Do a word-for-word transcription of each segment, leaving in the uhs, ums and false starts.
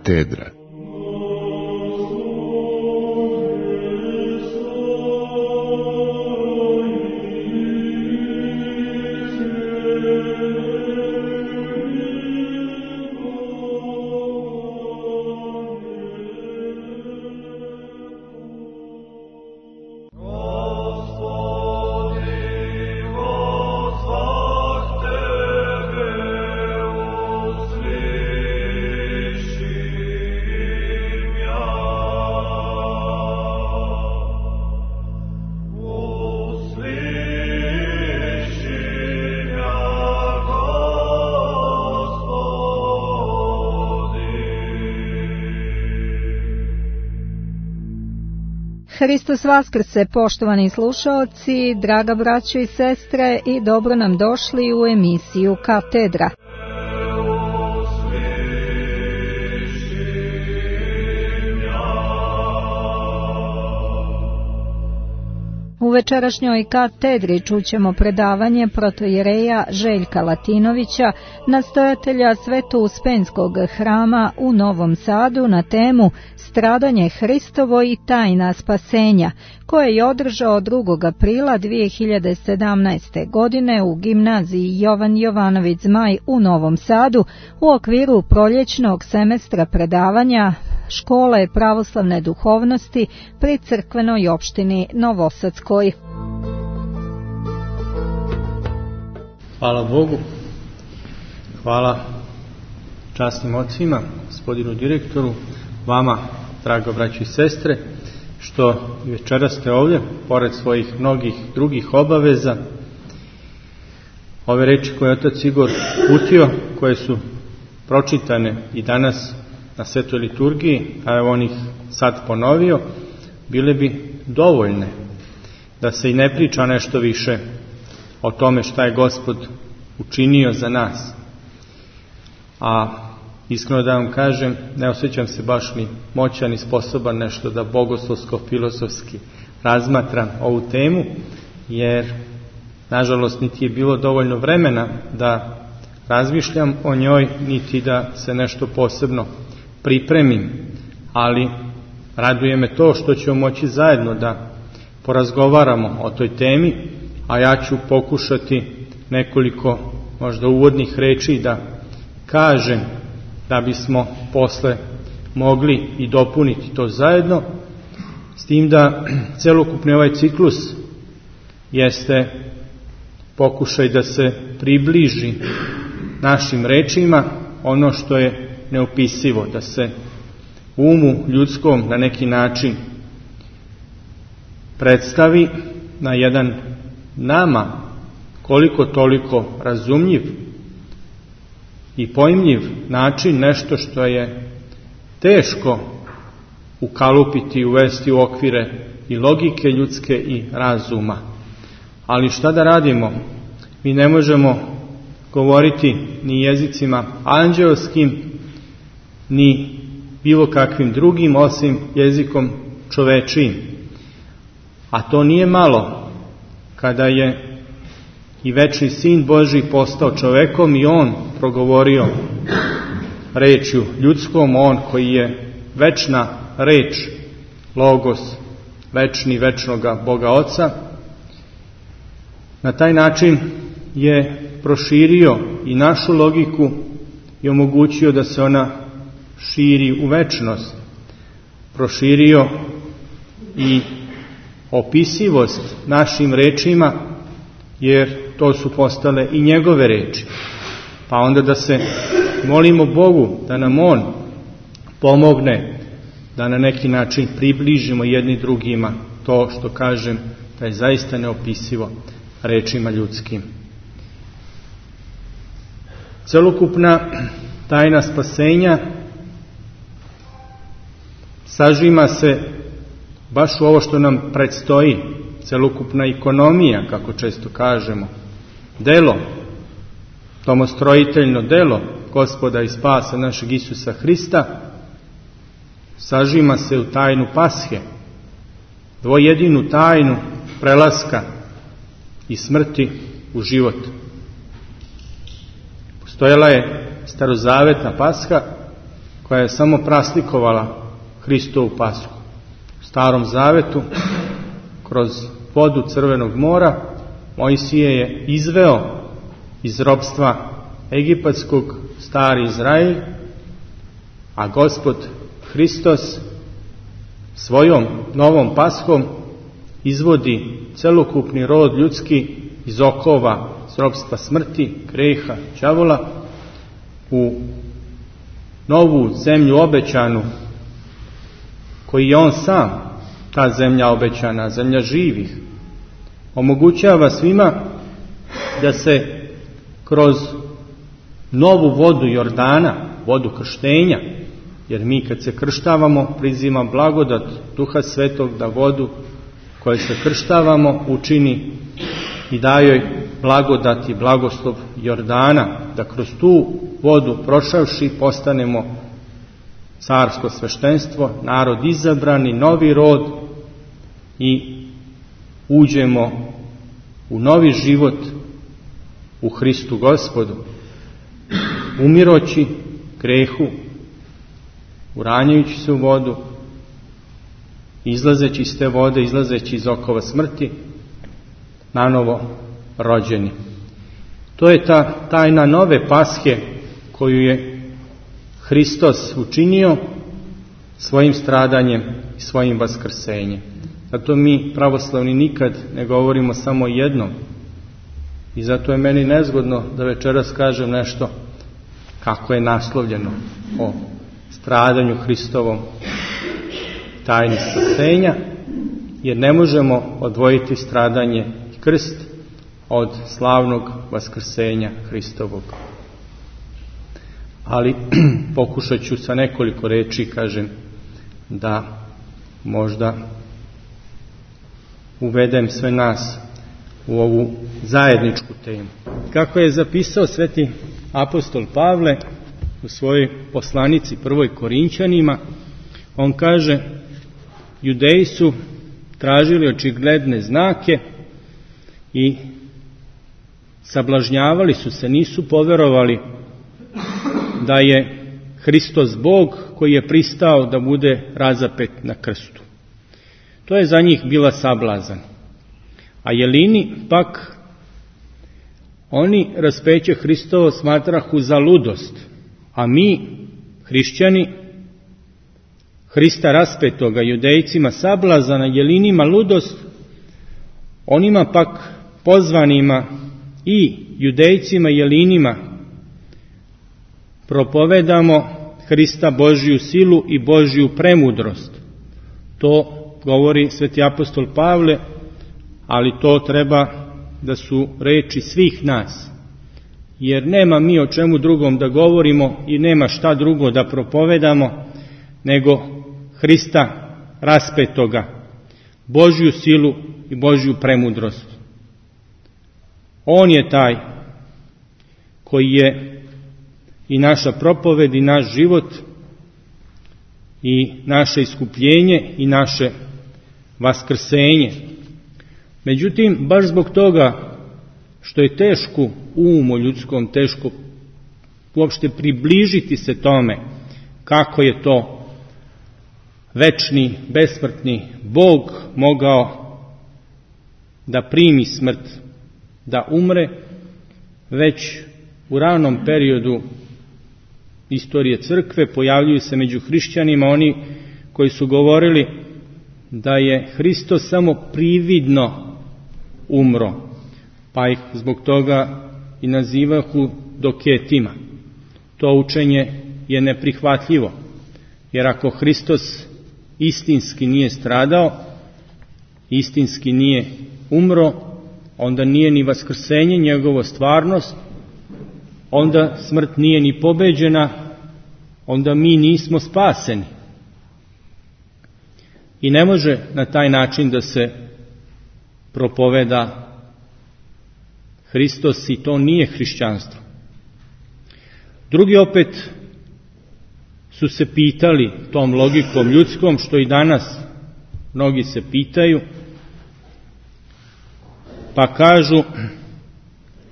Katedra. Hristos vaskrse, poštovani slušaoci, draga braćo i sestre, i dobro nam došli u emisiju Katedra. U večerašnjoj katedri čućemo predavanje protojereja Željka Latinovića, nastojatelja Sveto-Uspenskog hrama u Novom Sadu, na temu Stradanje Hristovo i tajna spasenja, koje je održao drugog aprila dvije hiljade sedamnaeste. godine u gimnaziji Jovan Jovanović Zmaj u Novom Sadu u okviru proljećnog semestra predavanja Škole pravoslavne duhovnosti pri crkvenoj opštini Novosadskoj. Hvala Bogu, hvala časnim ocima, gospodinu direktoru, vama, drago braći i sestre, što večeras ste ovdje, pored svojih mnogih drugih obaveza. Ove reči koje je otac Igor uputio, koje su pročitane i danas na svetoj liturgiji, a evo on ih sad ponovio, bile bi dovoljne da se i ne priča nešto više o tome šta je Gospod učinio za nas. A iskreno da vam kažem, ne osjećam se baš ni moćan i sposoban nešto da bogoslovsko-filozofski razmatram ovu temu, jer nažalost niti je bilo dovoljno vremena da razmišljam o njoj, niti da se nešto posebno pripremim, ali raduje me to što ćemo moći zajedno da porazgovaramo o toj temi, a ja ću pokušati nekoliko možda uvodnih reči da kažem, da bismo posle mogli i dopuniti to zajedno, s tim da celokupni ovaj ciklus jeste pokušaj da se približi našim rečima ono što je neopisivo, da se umu ljudskom na neki način predstavi na jedan nama koliko toliko razumljiv i pojmljiv način, nešto što je teško ukalupiti i uvesti u okvire i logike ljudske i razuma. Ali šta da radimo? Mi ne možemo govoriti ni jezicima anđeoskim, ni bilo kakvim drugim, osim jezikom čovečijim. A to nije malo, kada je i večni Sin Božji postao čovekom i on progovorio rečju ljudskom, on koji je večna reč, logos, večni večnoga Boga Oca. Na taj način je proširio i našu logiku i omogućio da se ona širi u večnost. Proširio i opisivost našim rečima, jer to su postale i njegove reči. Pa onda da se molimo Bogu da nam on pomogne da na neki način približimo jedni drugima to što kažem da je zaista neopisivo rečima ljudskim. Celokupna tajna spasenja sažima se baš u ovo što nam predstoji, celokupna ekonomija, kako često kažemo, delo, domostrojiteljno delo Gospoda i spasa našeg Isusa Hrista, sažima se u tajnu Pashe, dvojedinu tajnu prelaska i smrti u život. Postojala je starozavetna Pasha koja je samo praslikovala Hristovu Pashu. U Starom Zavetu, kroz vodu Crvenog mora, Mojsije je izveo iz ropstva egipatskog stari Izrael, a Gospod Hristos svojom novom Pashom izvodi celokupni rod ljudski iz okova, iz ropstva smrti, greha, đavola, u novu zemlju obećanu, koji je on sam, ta zemlja obećana, zemlja živih. Omogućava svima da se kroz novu vodu Jordana, vodu krštenja, jer mi kad se krštavamo prizima blagodat Duha Svetog da vodu koju se krštavamo učini i daje blagodat i blagoslov Jordana, da kroz tu vodu prošavši postanemo carsko sveštenstvo, narod izabrani, novi rod i uđemo u novi život u Hristu Gospodu, umiroći grehu, uranjajući se u vodu, izlazeći iz te vode, izlazeći iz okova smrti, nanovo rođeni. To je ta tajna nove Pashe koju je Hristos učinio svojim stradanjem i svojim vaskrsenjem. Zato mi pravoslavni nikad ne govorimo samo jednom. I zato je meni nezgodno da večeras kažem nešto kako je naslovljeno o stradanju Hristovom, tajni spasenja, jer ne možemo odvojiti stradanje i krst od slavnog vaskrsenja Hristovog. Ali pokušat ću sa nekoliko reči, kažem, da možda uvedem sve nas u ovu zajedničku temu. Kako je zapisao sveti apostol Pavle u svojoj poslanici prvoj Korinćanima, on kaže: Judeji su tražili očigledne znake i sablažnjavali su se, nisu poverovali da je Hristos Bog koji je pristao da bude razapet na krstu. To je za njih bila sablazan. A Jelini pak, oni raspeće Hristovo smatrahu za ludost, a mi, hrišćani, Hrista raspetoga Judejcima sablazana, Jelinima ludost, onima pak pozvanima i Judejcima i Jelinima propovedamo Hrista Božju silu i Božju premudrost. To govori sveti apostol Pavle, ali to treba da su reči svih nas, jer nema mi o čemu drugom da govorimo i nema šta drugo da propovedamo nego Hrista raspetoga, Božju silu i Božju premudrost. On je taj koji je i naša propoved i naš život i naše iskupljenje i naše vaskrsenje. Međutim, baš zbog toga što je teško umu ljudskom, teško uopšte približiti se tome kako je to večni, besmrtni Bog mogao da primi smrt, da umre, već u ranom periodu istorije crkve pojavljuju se među hrišćanima oni koji su govorili da je Hristos samo prividno umro, pa ih zbog toga i nazivahu doketima. To učenje je neprihvatljivo, jer ako Hristos istinski nije stradao, istinski nije umro, onda nije ni vaskrsenje njegovo stvarnost, onda smrt nije ni pobeđena, onda mi nismo spaseni. I ne može na taj način da se propoveda Hristos, i to nije hrišćanstvo. Drugi opet su se pitali tom logikom ljudskom, što i danas mnogi se pitaju, pa kažu,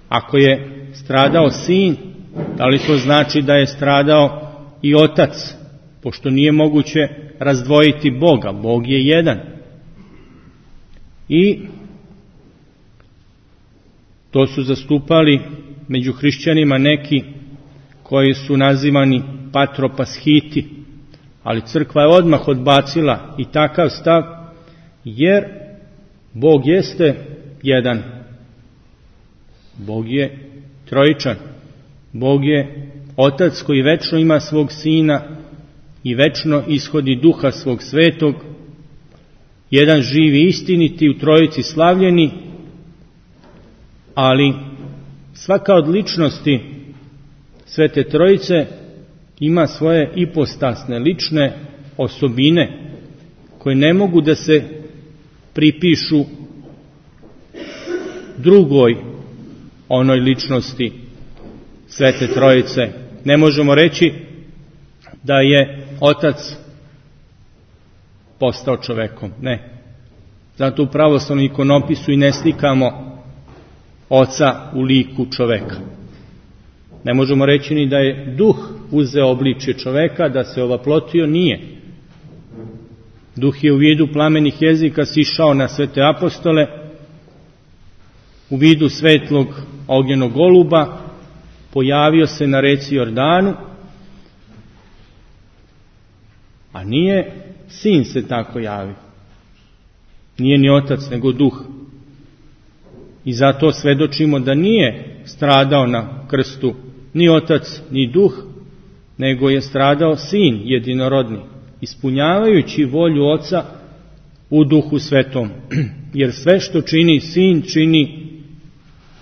ako je stradao sin, da li to znači da je stradao i otac pošto nije moguće razdvojiti Boga, Bog je jedan. I to su zastupali među hrišćanima neki koji su nazivani patropaschiti, ali crkva je odmah odbacila i takav stav, jer Bog jeste jedan. Bog je trojičan. Bog je Otac koji večno ima svog Sina i večno ishodi Duha svog Svetog, jedan živi istiniti u trojici slavljeni, ali svaka od ličnosti Svete Trojice ima svoje ipostasne, lične osobine koje ne mogu da se pripišu drugoj onoj ličnosti Svete Trojice. Ne možemo reći da je Otac postao čovekom, ne. Zato u pravoslavnom ikonopisu i ne slikamo Oca u liku čoveka. Ne možemo reći ni da je Duh uzeo obličje čoveka, da se ovaplotio, nije. Duh je u vidu plamenih jezika sišao na svete apostole, u vidu svetlog ognjenog goluba, pojavio se na reci Jordanu, a nije Sin se tako javio. Nije ni Otac, nego Duh. I zato svedočimo da nije stradao na krstu ni Otac, ni Duh, nego je stradao Sin jedinorodni, ispunjavajući volju Oca u Duhu Svetom. Jer sve što čini Sin, čini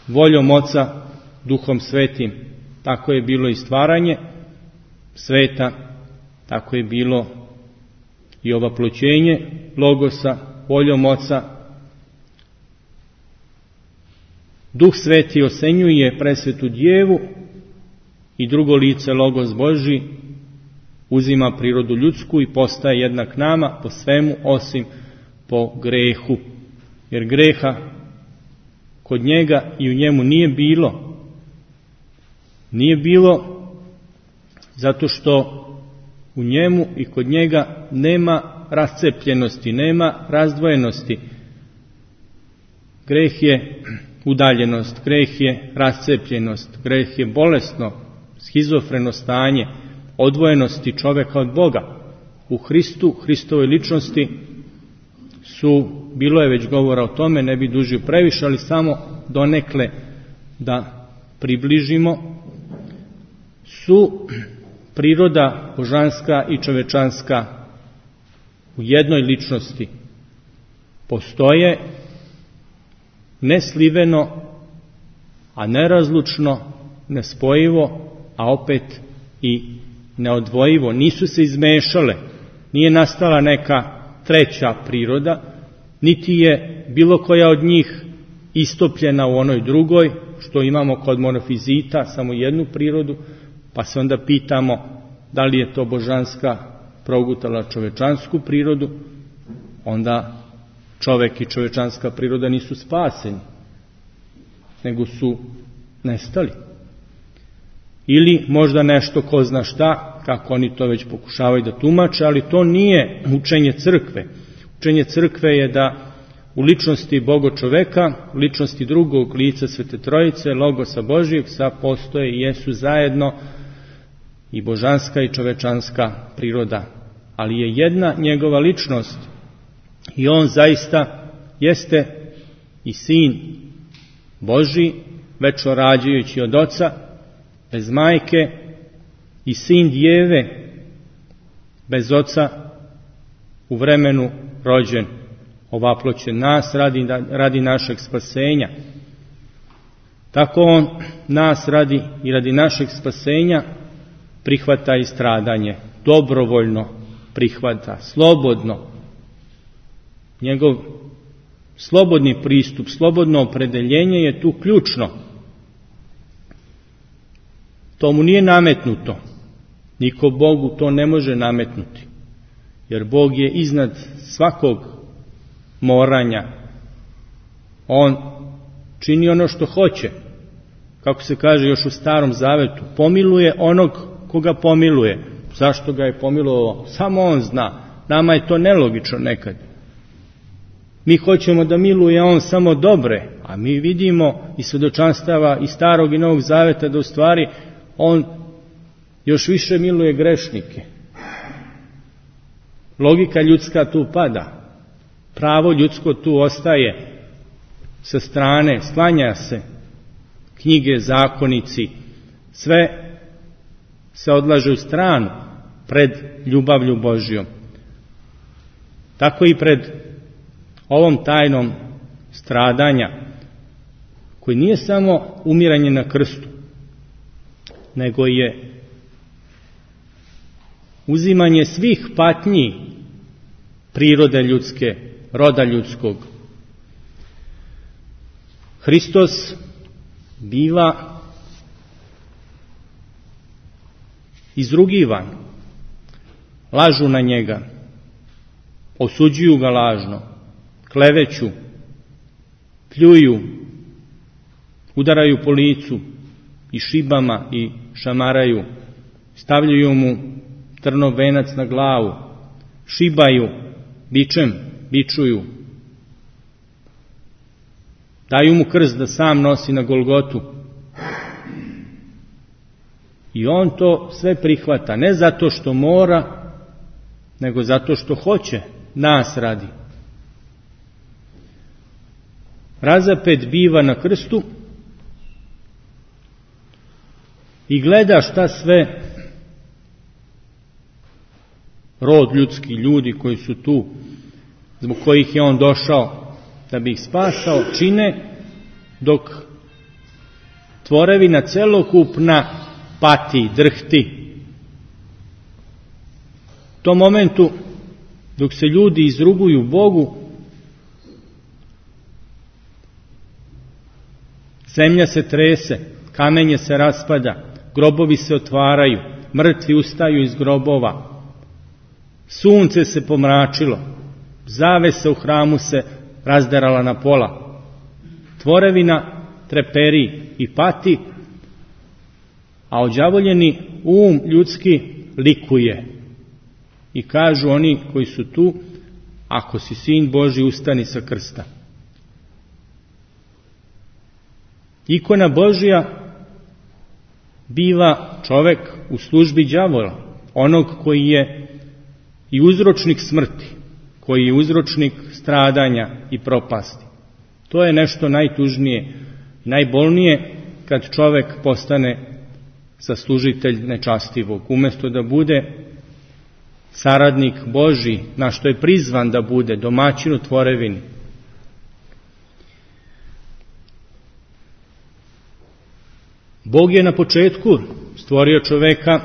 voljom Oca Duhom Svetim. Tako je bilo i stvaranje sveta, tako je bilo i ovaploćenje Logosa voljom Oca. Duh Sveti osenjuje presvetu Djevu i drugo lice Logos Božji uzima prirodu ljudsku i postaje jednak nama po svemu osim po grehu. Jer greha kod njega i u njemu nije bilo. Nije bilo zato što u njemu i kod njega nema rascepljenosti, nema razdvojenosti. Greh je udaljenost, greh je rascepljenost, greh je bolesno, schizofreno stanje odvojenosti čoveka od Boga. U Hristu, Hristovoj ličnosti su, bilo je već govora o tome, ne bi dužio previše, ali samo donekle da približimo, su priroda božanska i čovečanska u jednoj ličnosti. Postoje nesliveno, a nerazlučno, nespojivo, a opet i neodvojivo. Nisu se izmešale, nije nastala neka treća priroda, niti je bilo koja od njih istopljena u onoj drugoj, što imamo kod monofizita, samo jednu prirodu, pa se onda pitamo da li je to božanska progutala čovečansku prirodu, onda čovek i čovečanska priroda nisu spaseni, nego su nestali. Ili možda nešto ko zna šta, kako oni to već pokušavaju da tumače, ali to nije učenje crkve. Učenje crkve je da u ličnosti Boga čoveka, u ličnosti drugog lica Svete Trojice, Logosa Božijeg, sa postoje i jesu zajedno i božanska i čovečanska priroda. Ali je jedna njegova ličnost i on zaista jeste i Sin Božji, večno rađajući od Oca, bez majke, i Sin Djeve, bez Oca, u vremenu rođen, ovaploćen nas radi, radi našeg spasenja. Tako on nas radi i radi našeg spasenja prihvata i stradanje, dobrovoljno prihvata, slobodno. Njegov slobodni pristup, slobodno opredeljenje je tu ključno. To mu nije nametnuto. Niko Bogu to ne može nametnuti. Jer Bog je iznad svakog moranja. On čini ono što hoće. Kako se kaže još u Starom Zavetu, pomiluje onog koga pomiluje. Zašto ga je pomilovao? Samo on zna. Nama je to nelogično nekad. Mi hoćemo da miluje on samo dobre, a mi vidimo iz svedočanstava i Starog i Novog Zaveta da u stvari on još više miluje grešnike. Logika ljudska tu pada. Pravo ljudsko tu ostaje sa strane, sklanja se. Knjige, zakonici, sve se odlaže u stranu pred ljubavlju Božjom. Tako i pred ovom tajnom stradanja, koji nije samo umiranje na krstu, nego je uzimanje svih patnji prirode ljudske, roda ljudskog. Hristos biva izrugivan, lažu na njega, osuđuju ga lažno, kleveću, pljuju, udaraju po licu i šibama i šamaraju, stavljaju mu trnov venac na glavu, šibaju, bičem, bičuju, daju mu krst da sam nosi na Golgotu. I on to sve prihvata, ne zato što mora, nego zato što hoće, nas radi. Razapet biva na krstu i gleda šta sve rod ljudski, ljudi koji su tu, zbog kojih je on došao da bi ih spasao, čine, dok tvorevina celokupna pati, drhti. U tom momentu, dok se ljudi izruguju Bogu, zemlja se trese, kamenje se raspada, grobovi se otvaraju, mrtvi ustaju iz grobova, sunce se pomračilo, zavesa u hramu se razderala na pola, tvorevina treperi i pati, a odjavoljeni um ljudski likuje. I kažu oni koji su tu, ako si sin Božji, ustani sa krsta. Ikona Božja biva čovek u službi đavola, onog koji je i uzročnik smrti, koji je uzročnik stradanja i propasti. To je nešto najtužnije, najbolnije kad čovek postane saslužitelj nečastivog, umjesto da bude saradnik Božji, na što je prizvan da bude, domaćin u tvorevini. Bog je na početku stvorio čoveka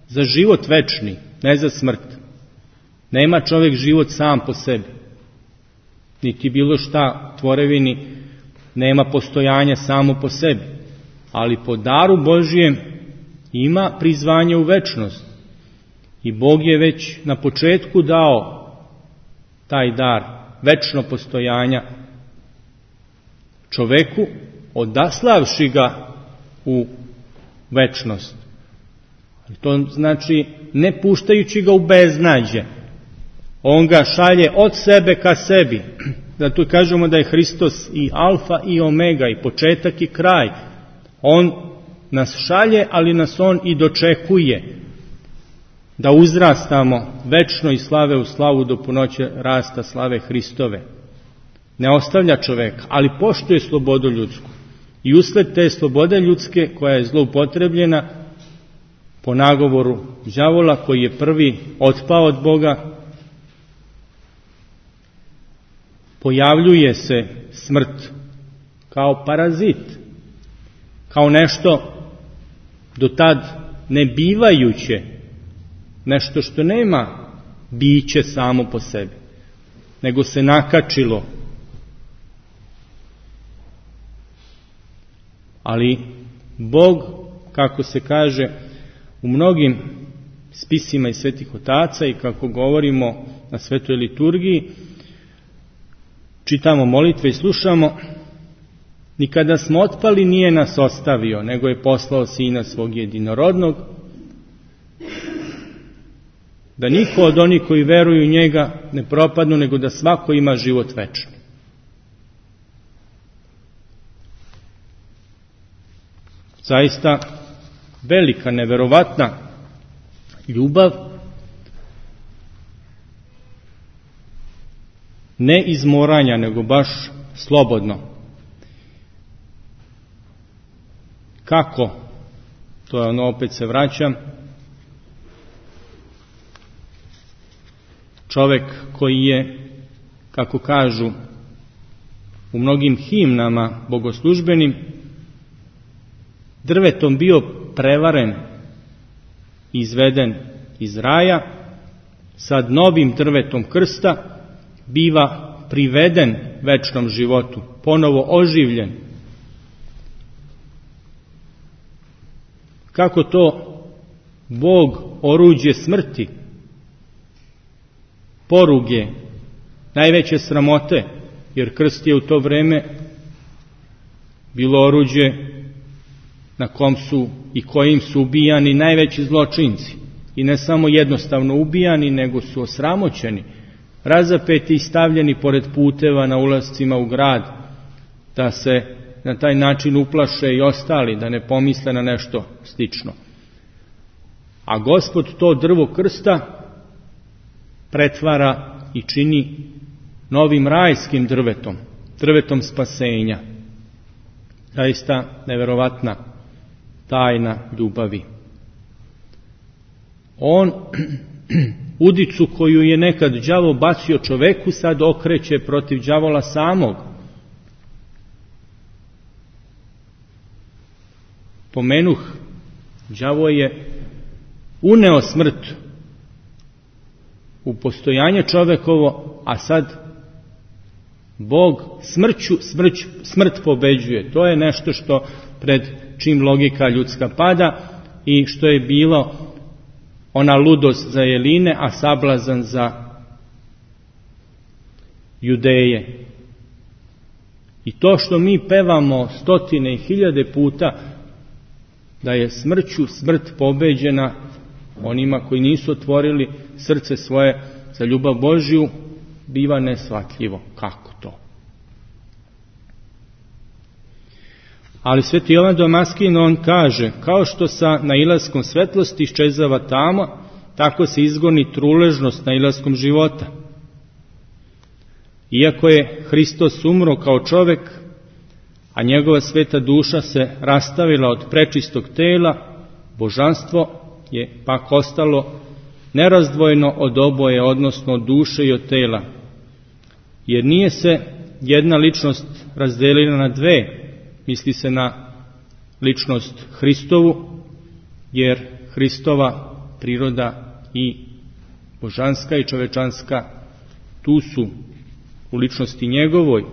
za život večni, ne za smrt. Nema čovek život sam po sebi, niti bilo šta tvorevini nema postojanja samo po sebi, ali po daru Božjem ima prizvanje u večnost. I Bog je već na početku dao taj dar večno postojanja čoveku, odaslavši ga u večnost. To znači ne puštajući ga u beznađe. On ga šalje od sebe ka sebi. Zato kažemo da je Hristos i alfa i omega, i početak i kraj. On nas šalje, ali nas on i dočekuje da uzrastamo večno iz slave u slavu do punoće rasta slave Hristove. Ne ostavlja čoveka, ali poštuje slobodu ljudsku. I usled te slobode ljudske, koja je zloupotrebljena po nagovoru đavola, koji je prvi otpao od Boga, pojavljuje se smrt kao parazit, kao nešto do tad ne bivajuće, nešto što nema biće samo po sebi, nego se nakačilo. Ali Bog, kako se kaže u mnogim spisima iz svetih otaca i kako govorimo na svetoj liturgiji, čitamo molitve i slušamo, ni kada smo otpali nije nas ostavio, nego je poslao Sina svog jedinorodnog, da niko od onih koji veruju u njega ne propadnu, nego da svako ima život večni. Zaista velika, neverovatna ljubav, ne iz moranja, nego baš slobodno. Kako? To je ono, opet se vraćam. Čovek koji je, kako kažu u mnogim himnama bogoslužbenim, drvetom bio prevaren, izveden iz raja, sad novim drvetom krsta biva priveden večnom životu, ponovo oživljen. Kako to Bog oruđe smrti, poruge, najveće sramote, jer krst je u to vreme bilo oruđe na kom su i kojim su ubijani najveći zločinci. I ne samo jednostavno ubijani, nego su osramoćeni, razapeti i stavljeni pored puteva na ulascima u grad, da se na taj način uplaše i ostali, da ne pomisle na nešto slično. A Gospod to drvo krsta pretvara i čini novim rajskim drvetom, drvetom spasenja. Zaista neverovatna tajna ljubavi. On udicu koju je nekad đavo bacio čoveku sad okreće protiv đavola samog. Pomenuh, đavo je uneo smrt u postojanje čovekovo, a sad Bog smrću, smrć, smrt pobeđuje. To je nešto što pred čim logika ljudska pada i što je bilo ona ludost za Jeline, a sablazan za Judeje. I to što mi pevamo stotine i hiljade puta, da je smrću smrt pobeđena, onima koji nisu otvorili srce svoje za ljubav Božju, biva neshvatljivo. Kako to? Ali sveti Jovan Damaskin, on kaže, kao što sa nailaskom svetlosti iščezava tamo, tako se izgoni truležnost nailaskom života. Iako je Hristos umro kao čovek, a njegova sveta duša se rastavila od prečistog tela, božanstvo je pak ostalo nerazdvojeno od oboje, odnosno od duše i od tela. Jer nije se jedna ličnost razdelila na dve, misli se na ličnost Hristovu, jer Hristova priroda i božanska i čovečanska tu su u ličnosti njegovoj,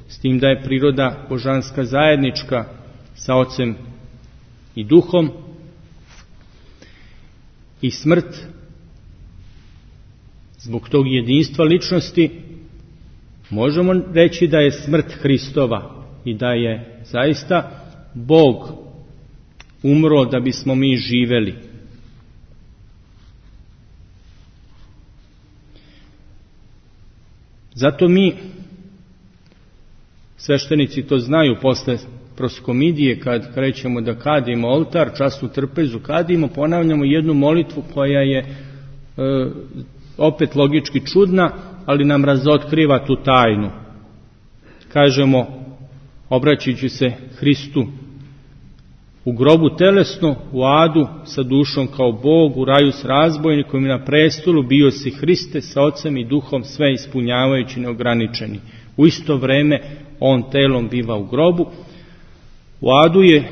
s tim da je priroda božanska zajednička sa Ocem i Duhom. I smrt, zbog tog jedinstva ličnosti, možemo reći da je smrt Hristova i da je zaista Bog umro da bismo mi živeli. Zato mi, sveštenici to znaju, posle proskomidije, kad krećemo da kadimo oltar, časnu trpezu kadimo, ponavljamo jednu molitvu koja je e, opet logički čudna, ali nam razotkriva tu tajnu. Kažemo, obraćajući se Hristu, u grobu telesno, u adu sa dušom kao Bog, u raju s razbojnikom i na prestolu bio si Hriste sa Ocem i Duhom, sve ispunjavajući neograničeni. U isto vreme on telom biva u grobu, u adu je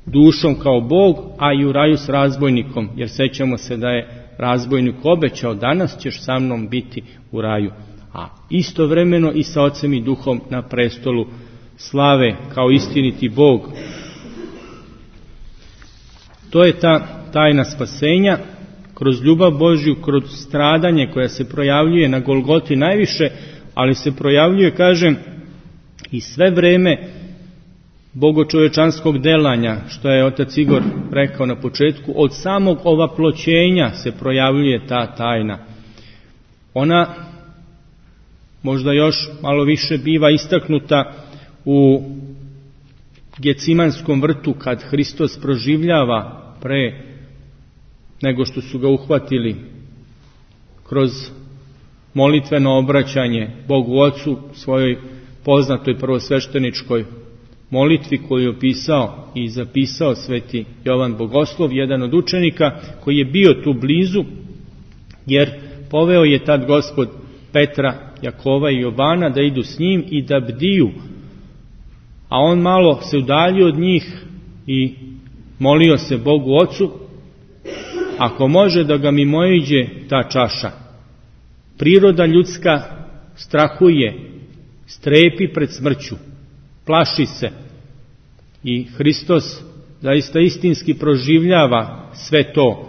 dušom kao Bog, a i u raju s razbojnikom, jer sećamo se da je razbojnik obećao, danas ćeš sa mnom biti u raju. A istovremeno i sa Ocem i Duhom na prestolu slave kao istiniti Bog. To je ta tajna spasenja, kroz ljubav Božju, kroz stradanje koja se projavljuje na Golgoti najviše, ali se projavljuje, kažem, i sve vreme bogočovečanskog delanja, što je otac Igor rekao na početku, od samog ovaploćenja se projavljuje ta tajna. Ona možda još malo više biva istaknuta u Gecimanskom vrtu, kad Hristos proživljava pre nego što su ga uhvatili kroz molitveno obraćanje Bogu Ocu, svojoj poznatoj prvosvešteničkoj molitvi koju je opisao i zapisao sveti Jovan Bogoslov, jedan od učenika koji je bio tu blizu, jer poveo je tad Gospod Petra, Jakova i Jovana da idu s njim i da bdiju, a on malo se udaljio od njih i molio se Bogu Ocu, ako može da ga mimoiđe ta čaša. Priroda ljudska strahuje, strepi pred smrću, plaši se, i Hristos zaista istinski proživljava sve to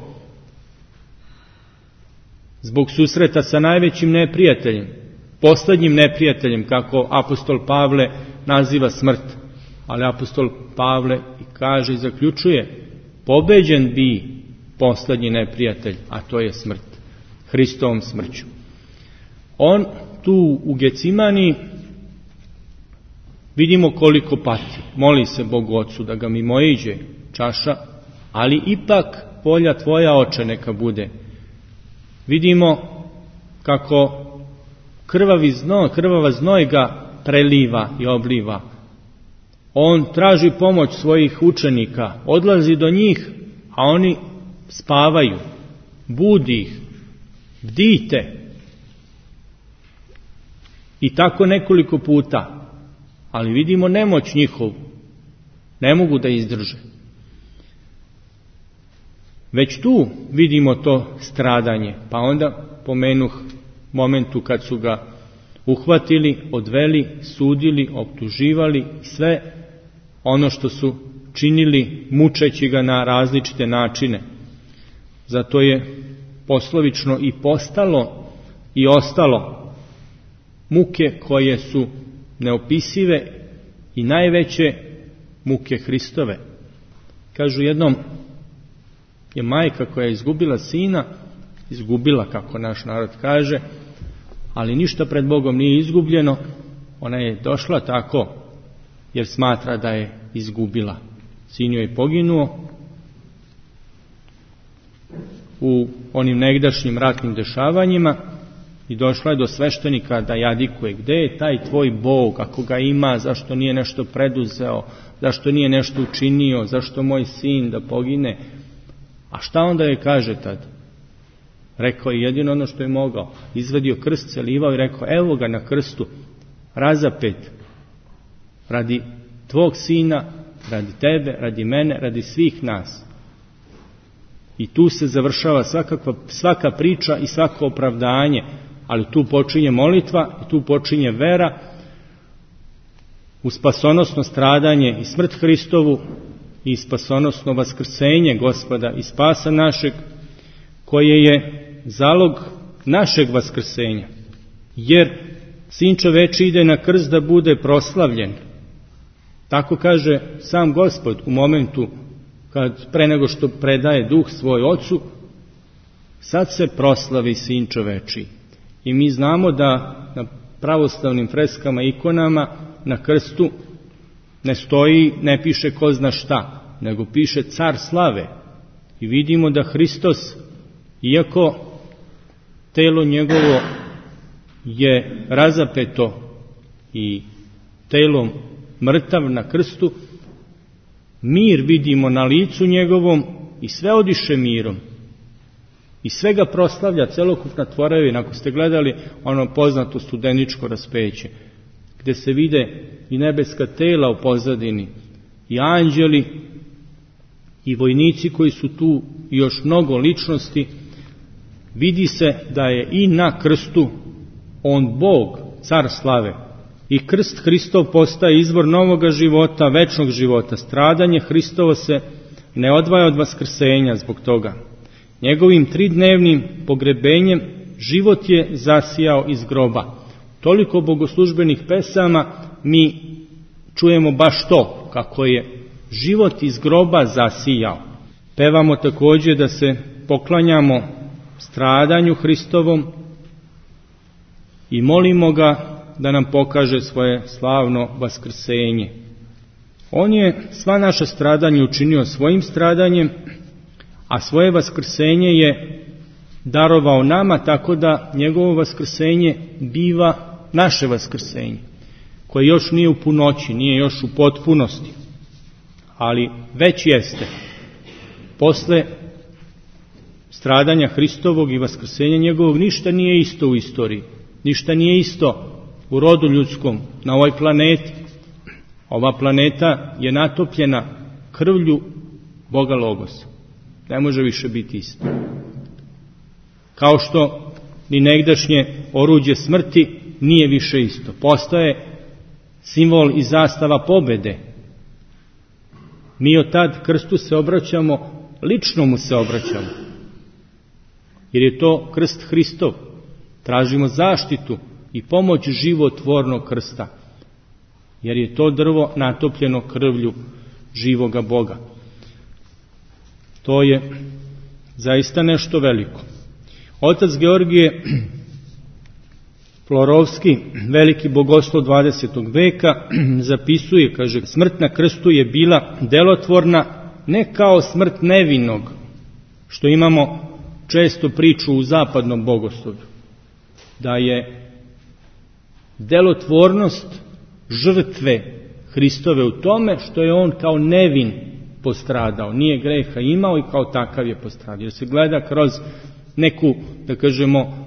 zbog susreta sa najvećim neprijateljem, poslednjim neprijateljem, kako apostol Pavle naziva smrt. Ali apostol Pavle i kaže i zaključuje: pobeđen bi poslednji neprijatelj, a to je smrt, Hristovom smrću. On tu u Gecimani vidimo koliko pati, moli se Bogu Ocu da ga mimoiđe čaša, ali ipak volja tvoja, Oče, neka bude. Vidimo kako krvavi znoj, krvava znoj ga preliva i obliva. On traži pomoć svojih učenika, odlazi do njih, a oni spavaju, budi ih, bdijte. I tako nekoliko puta, ali vidimo nemoć njihovu, ne mogu da izdrže. Već tu vidimo to stradanje, pa onda pomenuh momentu kad su ga uhvatili, odveli, sudili, optuživali, sve ono što su činili mučeći ga na različite načine. Zato je poslovično i postalo i ostalo muke koje su neopisive i najveće muke Hristove. Kažu, jednom je majka koja je izgubila sina, izgubila, kako naš narod kaže, ali ništa pred Bogom nije izgubljeno, ona je došla tako jer smatra da je izgubila. Sin joj je poginuo u onim negdašnjim ratnim dešavanjima i došla je do sveštenika da jadikuje: gde je taj tvoj Bog, ako ga ima, zašto nije nešto preduzeo, zašto nije nešto učinio, zašto moj sin da pogine? A šta onda je kaže tad? Rekao je jedino ono što je mogao. Izvadio krst, celivao i rekao: evo ga na krstu, razapet, radi tvog sina, radi tebe, radi mene, radi svih nas. I tu se završava svakakva, svaka priča i svako opravdanje, ali tu počinje molitva i tu počinje vera u spasonosno stradanje i smrt Hristovu i spasonosno vaskrsenje Gospoda i spasa našeg, koje je zalog našeg vaskrsenja. Jer Sin čoveči ide na krst da bude proslavljen. Tako kaže sam Gospod u momentu kad pre nego što predaje duh svoj Ocu, sad se proslavi Sin čoveči. I mi znamo da na pravoslavnim freskama, ikonama, na krstu ne stoji, ne piše ko zna šta, nego piše Car slave. I vidimo da Hristos, iako telo njegovo je razapeto i telom mrtav na krstu, mir vidimo na licu njegovom i sve odiše mirom. I sve ga proslavlja celokupna tvorevina. Ako ste gledali ono poznato studeničko raspeće, gde se vide i nebeska tela u pozadini, i anđeli, i vojnici koji su tu, i još mnogo ličnosti, vidi se da je i na krstu on Bog, car slave. I krst Hristov postaje izvor novoga života, večnog života. Stradanje Hristovo se ne odvaja od vaskrsenja zbog toga. Njegovim tridnevnim pogrebenjem život je zasijao iz groba. Toliko bogoslužbenih pesama mi čujemo baš to, kako je život iz groba zasijao. Pevamo također da se poklanjamo stradanju Hristovom i molimo ga da nam pokaže svoje slavno vaskrsenje. On je sva naša stradanja učinio svojim stradanjem, a svoje vaskrsenje je darovao nama, tako da njegovo vaskrsenje biva naše vaskrsenje, koje još nije u punoći, nije još u potpunosti, ali već jeste. Posle stradanja Hristovog i vaskrsenja njegovog ništa nije isto u istoriji, ništa nije isto u rodu ljudskom, na ovoj planeti. Ova planeta je natopljena krvlju Boga Logosa. Ne može više biti isto. Kao što ni negdašnje oruđe smrti nije više isto. Postaje simbol i zastava pobede. Mi od tad krstu se obraćamo, lično mu se obraćamo. Jer je to krst Hristov. Tražimo zaštitu i pomoć životvornog krsta. Jer je to drvo natopljeno krvlju živoga Boga. To je zaista nešto veliko. Otac Georgije Florovski, veliki bogoslov dvadesetog veka, zapisuje, kaže, smrt na krstu je bila delotvorna ne kao smrt nevinog, što imamo često priču u zapadnom bogoslovlju, da je delotvornost žrtve Hristove u tome što je on kao nevin postradao, nije greha imao i kao takav je postradao. Jer se gleda kroz neku, da kažemo,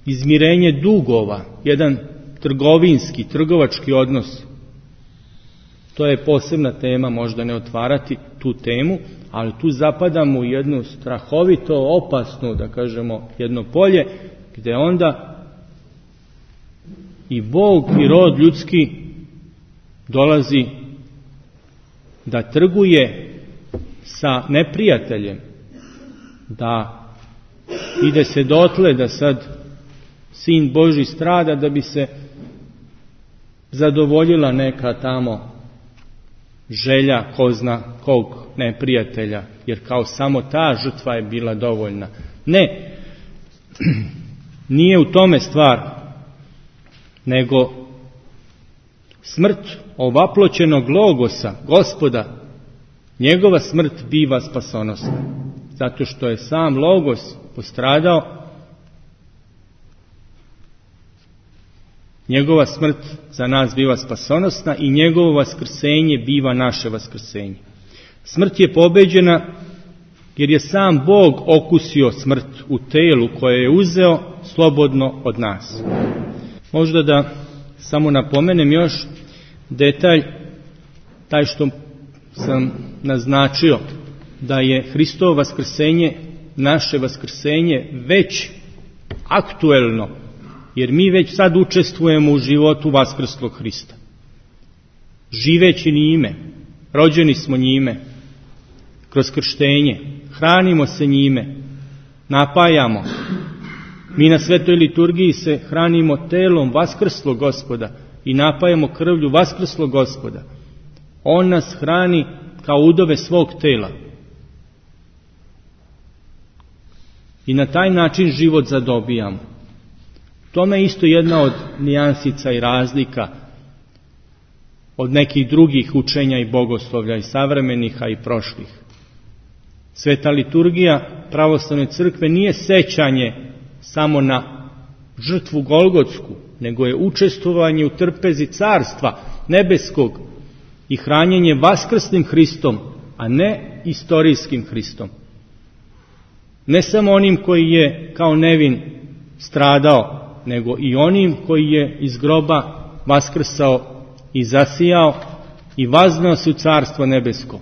izmirenje dugova, jedan trgovinski, trgovački odnos. To je posebna tema, možda ne otvarati tu temu, ali tu zapadamo u jednu strahovito opasnu, da kažemo, jedno polje, gdje onda i Bog i rod ljudski dolazi da trguje sa neprijateljem, da ide se dotle da sad Sin Božji strada da bi se zadovoljila neka tamo želja ko zna kog neprijatelja, jer kao samo ta žrtva je bila dovoljna. Ne, nije u tome stvar, nego smrt ovaploćenog Logosa, Gospoda, njegova smrt biva spasonosna. Zato što je sam Logos postradao, njegova smrt za nas biva spasonosna i njegovo vaskrsenje biva naše vaskrsenje. Smrt je pobeđena jer je sam Bog okusio smrt u telu koje je uzeo slobodno od nas. Možda da samo napomenem još detalj, taj što sam naznačio, da je Hristovo vaskrsenje, naše vaskrsenje već aktuelno, jer mi već sad učestvujemo u životu vaskrslog Hrista. Živeći njime, rođeni smo njime, kroz krštenje, hranimo se njime, napajamo. Mi na svetoj liturgiji se hranimo telom vaskrslog Gospoda i napajamo krvlju vaskrslog Gospoda. On nas hrani kao udove svog tela. I na taj način život zadobijamo. Tome je isto jedna od nijansica i razlika od nekih drugih učenja i bogoslovlja i savremenih, a i prošlih. Sveta liturgija pravoslavne crkve nije sećanje samo na žrtvu Golgotsku, nego je učestvovanje u trpezi carstva nebeskog i hranjenje vaskrslim Hristom, a ne istorijskim Hristom. Ne samo onim koji je kao nevin stradao, nego i onim koji je iz groba vaskrsao i zasijao i vaznao se u carstvo nebesko.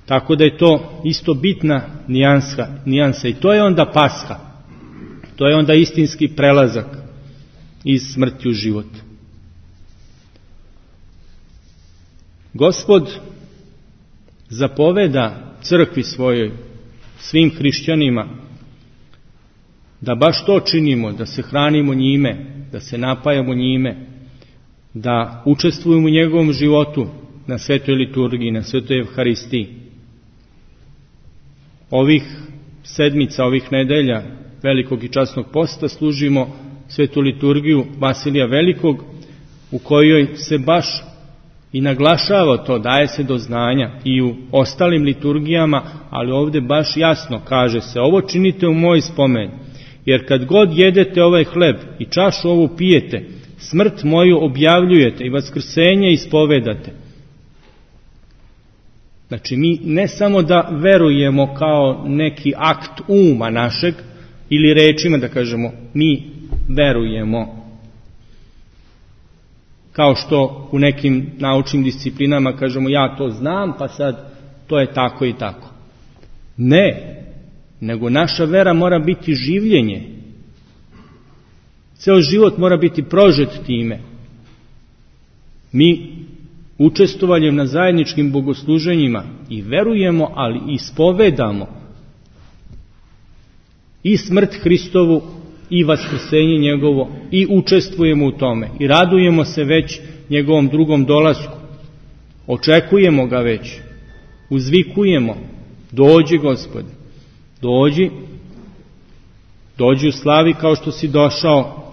Tako da je to isto bitna nijansa, nijansa i to je onda Pasha. To je onda istinski prelazak iz smrti u život. Gospod zapoveda crkvi svojoj, svim hrišćanima, da baš to činimo, da se hranimo njime, da se napajamo njime, da učestvujemo u njegovom životu na svetoj liturgiji, na svetoj Evharistiji. Ovih sedmica, ovih nedelja velikog i časnog posta služimo svetu liturgiju Vasilija Velikog, u kojoj se baš i naglašava to, daje se do znanja i u ostalim liturgijama, ali ovdje baš jasno kaže se: ovo činite u moj spomen, jer kad god jedete ovaj hleb i čašu ovu pijete, smrt moju objavljujete i vaskrsenje ispovedate. Znači, mi ne samo da verujemo kao neki akt uma našeg, ili rečima da kažemo mi verujemo, kao što u nekim naučnim disciplinama kažemo ja to znam, pa sad to je tako i tako. Ne, nego naša vera mora biti življenje. Ceo život mora biti prožet time. Mi učestvovanjem na zajedničkim bogosluženjima i verujemo, ali i ispovedamo i smrt Hristovu i vaskrsenje njegovo i učestvujemo u tome i radujemo se već njegovom drugom dolasku. Očekujemo ga već, uzvikujemo: dođi Gospode, dođi, dođi u slavi kao što si došao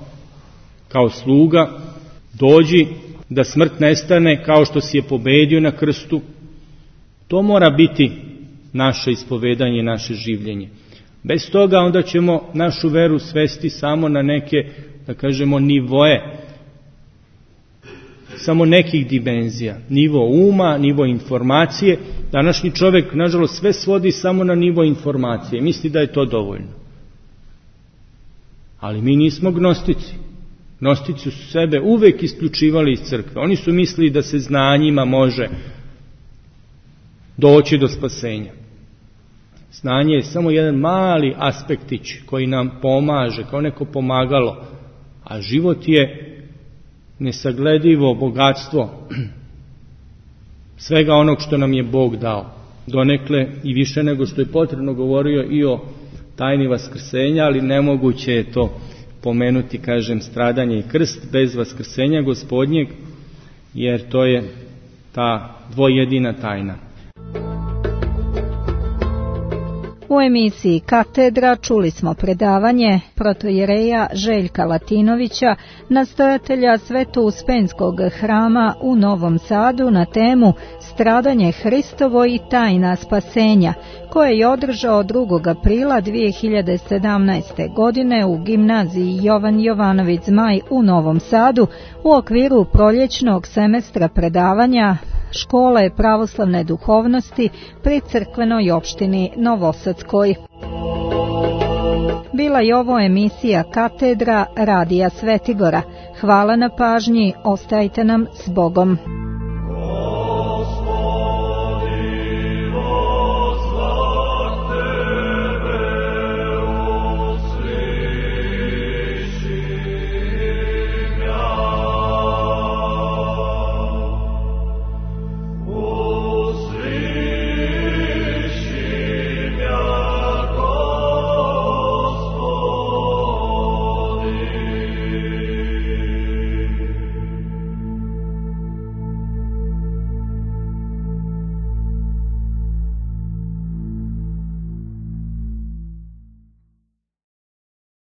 kao sluga, dođi da smrt nestane kao što si je pobedio na krstu. To mora biti naše ispovedanje, naše življenje. Bez toga onda ćemo našu veru svesti samo na neke, da kažemo, nivoe, samo nekih dimenzija. Nivo uma, nivo informacije. Današnji čovjek, nažalost, sve svodi samo na nivo informacije. Misli da je to dovoljno. Ali mi nismo gnostici. Gnostici su sebe uvek isključivali iz crkve. Oni su mislili da se znanjima može doći do spasenja. Znanje je samo jedan mali aspektić koji nam pomaže, kao neko pomagalo, a život je nesagledivo bogatstvo svega onog što nam je Bog dao. Donekle i više nego što je potrebno govorio i o tajni vaskrsenja, ali nemoguće je to pomenuti, kažem, stradanje i krst bez vaskrsenja Gospodnjeg, jer to je ta dvojedina tajna. U emisiji Katedra čuli smo predavanje protojereja Željka Latinovića, nastojatelja Sveto-Uspenskog hrama u Novom Sadu, na temu Stradanje Hristovo i tajna spasenja, koje je održao drugog aprila dvije hiljade sedamnaeste. godine u gimnaziji Jovan Jovanović Zmaj u Novom Sadu u okviru proljećnog semestra predavanja Škole pravoslavne duhovnosti pri crkvenoj opštini Novosadskoj. Bila je ovo emisija Katedra Radija Svetigora. Hvala na pažnji, ostajte nam s Bogom.